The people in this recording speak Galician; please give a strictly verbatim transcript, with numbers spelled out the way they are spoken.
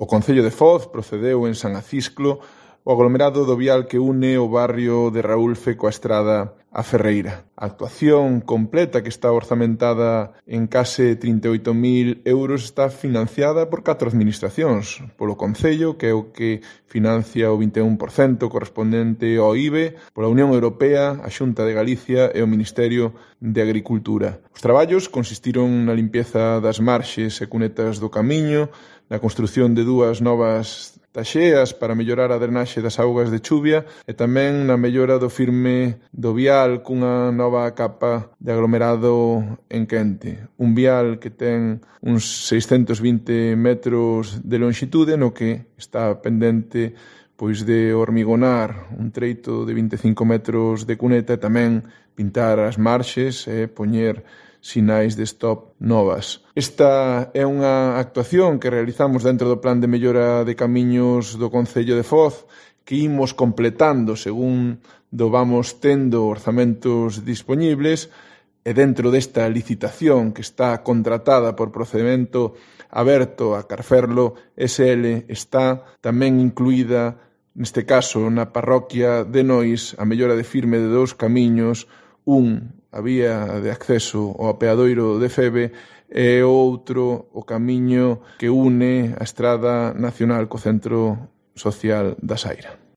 O Concello de Foz procedeu en San Acisclo o aglomerado do vial que une o barrio de Raúlfe coa estrada a Ferreira. A actuación completa, que está orzamentada en case trinta e oito mil euros, está financiada por catro administracións, polo Concello, que é o que financia o vinte e un por cento correspondente ao I B E, pola Unión Europea, a Xunta de Galicia e o Ministerio de Agricultura. Os traballos consistiron na limpieza das marxes e cunetas do camiño, na construción de dúas novas taxeas para mellorar a drenaxe das augas de chuvia e tamén na mellora do firme do vial cunha nova capa de aglomerado en quente. Un vial que ten uns seiscentos vinte metros de longitude, no que está pendente pois de hormigonar un treito de vinte e cinco metros de cuneta e tamén pintar as marxes e poñer sinais de stop novas. Esta é unha actuación que realizamos dentro do Plan de Mellora de Camiños do Concello de Foz, que imos completando según do vamos tendo orzamentos dispoñibles, e dentro desta licitación que está contratada por procedimento aberto a Carferlo S L está tamén incluída, neste caso na parroquia de Nois, a mellora de firme de dous camiños, un a vía de acceso ao apeadoiro de Febe e o outro o camiño que une a Estrada Nacional co Centro Social da Saira.